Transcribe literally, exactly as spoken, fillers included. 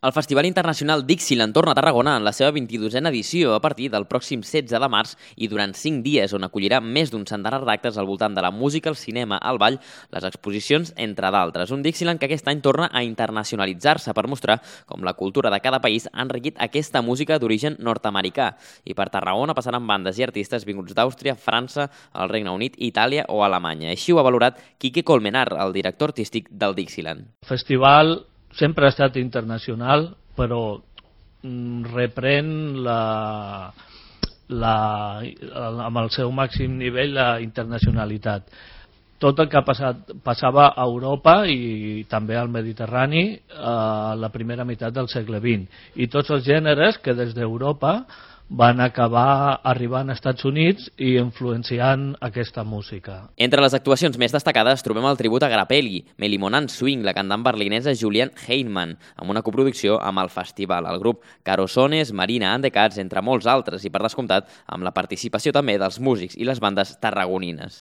El Festival Internacional Dixieland torna a Tarragona en la seva vint-i-dosena edició a partir del pròxim setze de març i durant cinc dies, on acollirà més d'un centenar d'actes al voltant de la música, el cinema, el ball, les exposicions, entre d'altres. Un Dixieland que aquest any torna a internacionalitzar-se per mostrar com la cultura de cada país ha enriquit aquesta música d'origen nord-americà. I per Tarragona passaran bandes i artistes vinguts d'Àustria, França, el Regne Unit, Itàlia o Alemanya. Així ho ha valorat Quique Colmenar, el director artístic del Dixieland. El festival sempre ha estat internacional, però reprèn la, la, amb el seu màxim nivell la internacionalitat. Tot el que ha passat, passava a Europa i també al Mediterrani a la primera meitat del segle vint. I tots els gèneres que des d'Europa van acabar arribant als Estats Units i influenciant aquesta música. Entre les actuacions més destacades trobem el tribut a Grappelli, Melimonan Swing, la cantant berlinesa Julian Heinemann, amb una coproducció amb el festival, el grup Carosones, Marina and the Cats, entre molts altres, i per descomptat amb la participació també dels músics i les bandes tarragonines.